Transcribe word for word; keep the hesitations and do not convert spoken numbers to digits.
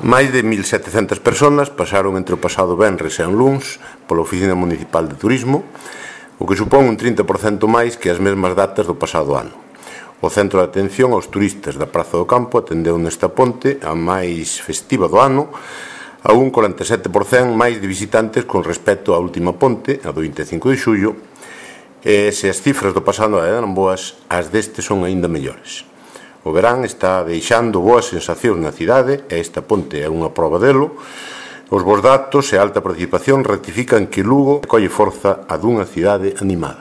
Máis de mil setecentas persoas pasaron entre o pasado venres e o luns pola Oficina Municipal de Turismo, o que supón un trinta por cento máis que as mesmas datas do pasado ano. O Centro de Atención aos Turistas da Praza do Campo atendeu nesta ponte a máis festiva do ano, a un corenta e sete por cento máis de visitantes con respecto á última ponte, a do vinte e cinco de xullo, e se as cifras do pasado ano eran boas, as deste son aínda mellores. O verán está deixando boas sensacións na cidade e esta ponte é unha proba delo. Os bons datos e a alta participación ratifican que Lugo colle forza a dunha cidade animada.